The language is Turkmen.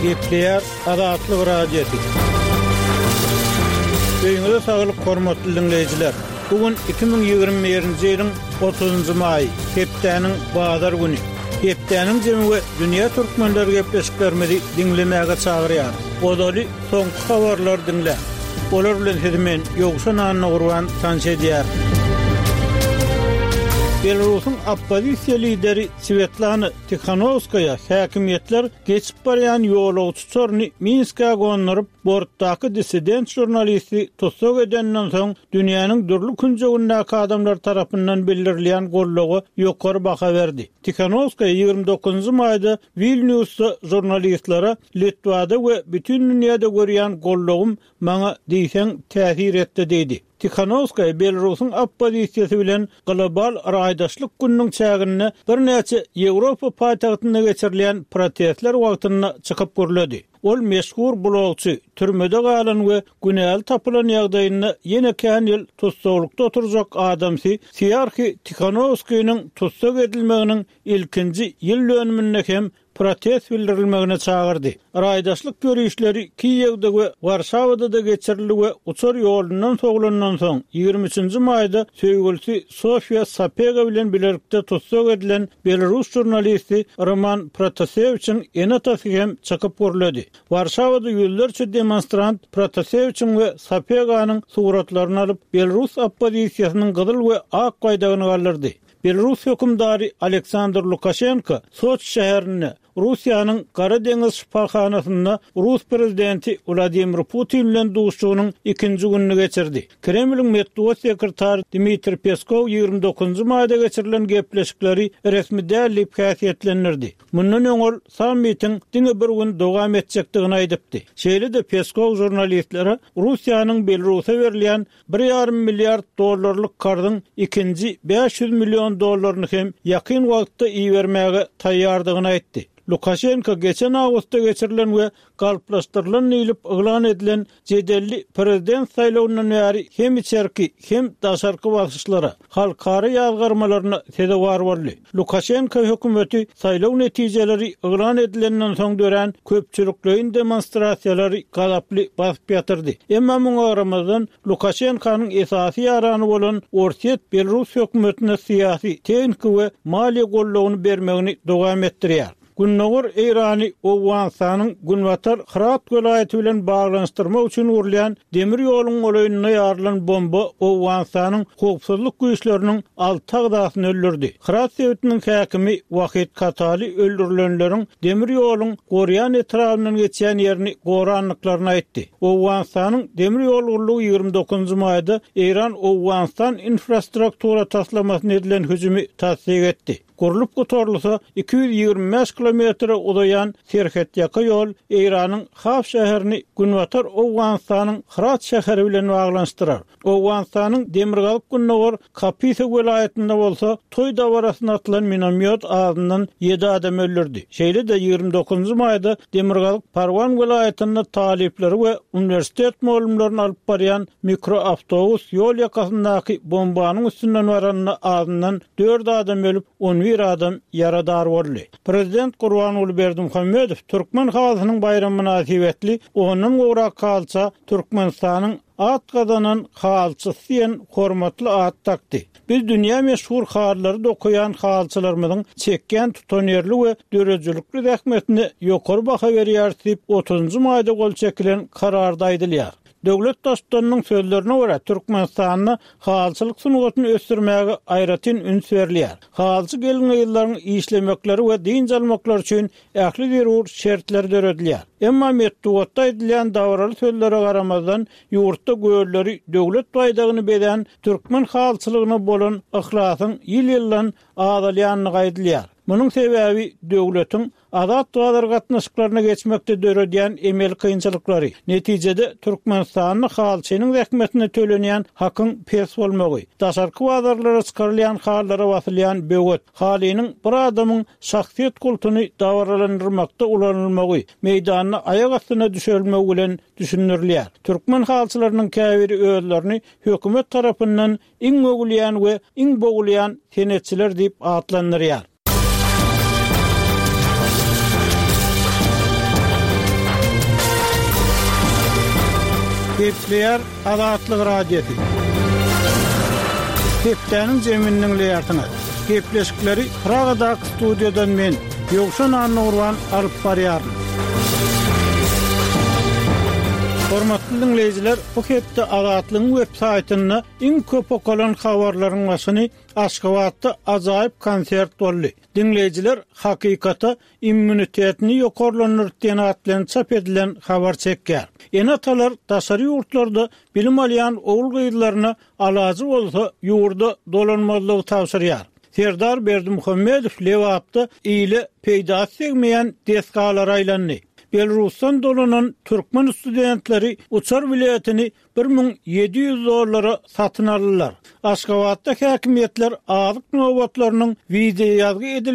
Gepleýär Azatlyk Radiosy. Öýüňize saglyk hormatly diňleýjiler! Bu gün 2021-nji ýylyň 30-njy maýy, hepdäniň bazar güni. Hepdäniň jemi we dünýä türkmenleri gepleşiklerimizi diňlemäge çagyrýar. Ozaly soňky habarlary diňläň. Olar bilen sizi men, Ýowşan Annagurban tanyş edýärin. Belarusyň oppozisiýa lideri Swetlana Tihanowskaýa häkimiýetler geçip barýan ýolagçy uçaryny Minskä gonduryp, bortdaky dissident žurnalisti tussag edeninden soň dünýäniň dürli künjegindäki adamlar tarapyndan bildirilýän goldawa ýokary baha berdi. Tihanowskaýa 29 nji maýda Wilnýusda žurnalistlere Litwada we bütin dünýäde görýän goldawym maňa diýseň täsir etdi diýdi. Tihanowskaýa Belarusyň oppozisiýasy bilen Global raýdaşlyk gününiň çäginde birnäçe Ýewropa paýtagtynda geçirilýän protestler wagtynda çykyp gürledi. Ol meşhur blogçy, türmede galan we günäli tapylan ýagdaýynda ýene kän ýyl tussaglykda oturjak adamsy Siarhi Tihanowskiniň tussag edilmeginiň ilkinji ýyl dönüminde hem protest bildirilmegine çagyrdy. Raýdaşlyk ýörişleri Kiýewde we Warşawada-da geçirildi we uçar ýolundan sowlandan soň, 23 nji maýda söýgülisi Sofiýa Sapega bilen bilelikde tussag edilen belarus žurnalisti Roman Protasewiçiň ene-atasy hem çykyp gürledi. Warşawada ýüzlerçe demonstrant Protasewiçiň we Sapeganyň suratlaryny alyp, belarus oppozisiýasynyň gyzyl we ak baýdagyny galdyrdy. Belarus hökümdary Aleksandr Lukaşenko Soçi şäherinde, Russiýanyň Gara deňiz şypahanasynda rus prezidenti Wladimir Putin bilen duşuşygynyň ikinji gününi geçirdi. Kremliň metbugat sekretary Dmitriý Peskow 29 njy maýda geçirilen gepleşikleri resmi däl diýip häsiýetlendirdi. Mundan öň ol sammitiň diňe bir gün dowam etjekdigini aýdypdy. Şeýle-de Peskow žurnalistlere Russiýanyň Belarusa berilýän Bir ýarym milliard dollarlyk karzyň ikinji 500 million dollaryny hem ýakyn wagtda ibermäge taýýardygyny aýtdy. Lukaşenko geçen awgustda geçirilen we galplaşdyrylan diýlip yglan edilen jedelli prezident saýlawyndan bäri hem içerki, hem daşarky basyşlara, halkara ýazgarmalaryna sezewar boldy. Lukaşenko hökümeti saýlaw netijeleri yglan edilenden soň dörän köpçülikleýin demonstrasiýalary gazaply basyp ýatyrdy. Emma muňa garamazdan, Lukaşenkonyň esasy ýarany bolan Orsýet belarus hökümetine syýasy, tehniki we maliýe goldawyny bermegini dowam etdirýär. Gündogar Eýrany Owganystanyň günbatar Hyrat welaýaty bilen baglanyşdyrmak üçin gurulýan demir ýoluň golaýynda ýarylan bomba Owganystanyň howpsuzlyk güýçleriniň alty agzasyny öldürdi. Hyrat sebitiniň häkimi Wahid Katali öldürilenleriň demir ýoluň Gorýan etrabyndan geçýän ýerini gorandyklaryny aýtdy. Owganystanyň demir ýol gullugy 29 njy maýda Eýran-Owganystan infrastruktura taslamasyna edilen hüjümi tassyk etdi. Gurlup gutarylsa, 225 kilometre uzaýan serhetýaka ýol Eýranyň Haf şäherini günbatar Owganystanyň Hyrat şäheri bilen baglanyşdyrar. Owganystanyň demirgazyk-gündogar Kapisa welaýatynda bolsa toý dabarasyna atylan minomýot azyndan ýedi adamy öldürdi. Şeýle-de 29 nji maýda demirgazyk Parwan welaýatynda talyplary we uniwersitet mugallymlaryny alyp barýan mikroawtobus ýol ýakasyndaky bombanyň üstünden baranda azyndan Dört adam ölüp, on bir adam ýaradar boldy. Prezident Gurbanguly Berdimuhamedow Türkmen halysynyň baýramy mynasybetli ondan gowrak halyça Türkmenistanyň at gazanan halyçysy diýen hormatly at dakdy. Biz dünýä meşhur halylary dokaýan halyçylarymyzyň çekýän tutanýerli we döredijilikli zähmetine ýokary baha berýäris diýip, otuzynjy maýda gol çekilen Kararda aýdylýar. Döwlet Baştutanynyň sözlerine görä, Türkmenistanda halyçylyk sungatyny ösdürmäge aýratyn üns berilýär. Halyçy gelin-gyzlaryň işlemekleri we dynç almaklary üçin ähli zerur şertler döredilýär. Emma metbugatda aýdylýan dabaraly sözlere garamazdan, ýurtda gölleri döwlet baýdagyny bezän türkmen halyçylygyna bolan yhlasyň ýyl-ýyldan azalýandygy aýdylýar. Munuň sebäbi döwletiň Azat bazar gatnaşyklaryna geçmekde döredýän emeli kynçylyklary, netijede Türkmenistanda halyçynyň zähmetine tölenýän hakyň pes bolmagy, daşarky bazarlara çykarylýan halylara basylýan böwet, halynyň bir adamyň şahsyýet kultuny dabaralandyrmakda ulanylmagy, meýdanda aýak astyna düşürilmegi bilen düşündirilýär. Türkmen halyçylarynyň käbiri özlerini hökümet tarapyndan iň öwülýän we iň bogulýan senetçiler diýip atlandyrýar. Gepleýär Azatlyk Radiosy. Hepdäniň jemini diňleýärsiňiz. Gepleşikleri Pragadaky studiýadan men, Ýowşan Annagurban alyp barýaryn. Hormatly diňleýjiler, bu hepde Azatlygyň web saýtynda iň köp okalan habarlaryň başyny Aşgabatda ajaýyp konsert boldy. Diňleýjiler hakykata immunitetini ýokarlandyryp diýen at bilen çap edilen habar çekýär. Ene-atalar daşary ýurtlarda bilim alýan ogul-gyzlaryna alajy bolsa ýurda dolanmazlygy tabşyrýar. Serdar Berdimuhamedow Lebapda ile peýdasy degmeýän desgalara aýlandy. Belarusdan dolanan türkmen studentleri uçar biletini 1700 dollara satyn aldylar. Aşgabatda häkimiýetler azyk nobatlarynyň wideoýazgy edilmegini.